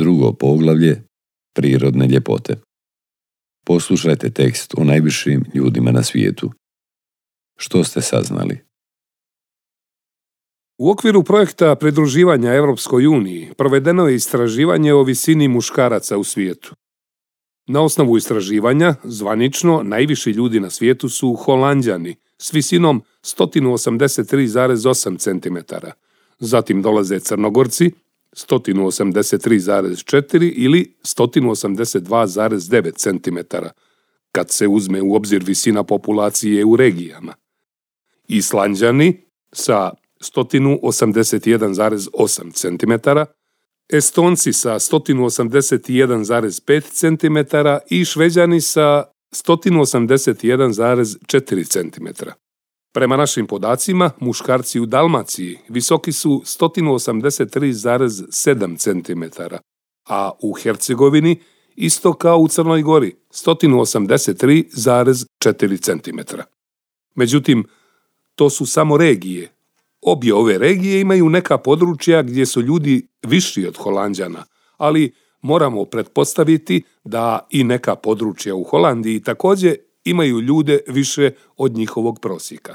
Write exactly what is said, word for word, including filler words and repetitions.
Drugo poglavlje, prirodne ljepote. Poslušajte tekst o najvišim ljudima na svijetu. Što ste saznali? U okviru projekta pridruživanja Europskoj uniji provedeno je istraživanje o visini muškaraca u svijetu. Na osnovu istraživanja, zvanično, najviši ljudi na svijetu su Holanđani s visinom sto osamdeset tri zarez osam centimetara. Zatim dolaze Crnogorci sto osamdeset tri zarez četiri ili sto osamdeset dva zarez devet centimetara, kad se uzme u obzir visina populacije u regijama. Islanđani sa sto osamdeset jedan zarez osam centimetara, Estonci sa sto osamdeset jedan zarez pet centimetara i Šveđani sa sto osamdeset jedan zarez četiri centimetara. Prema našim podacima, muškarci u Dalmaciji visoki su sto osamdeset tri zarez sedam centimetara, a u Hercegovini isto kao u Crnoj Gori sto osamdeset tri zarez četiri centimetara. Međutim, to su samo regije. Obje ove regije imaju neka područja gdje su ljudi viši od Holanđana, ali moramo pretpostaviti da i neka područja u Holandiji također imaju ljude više od njihovog prosjeka.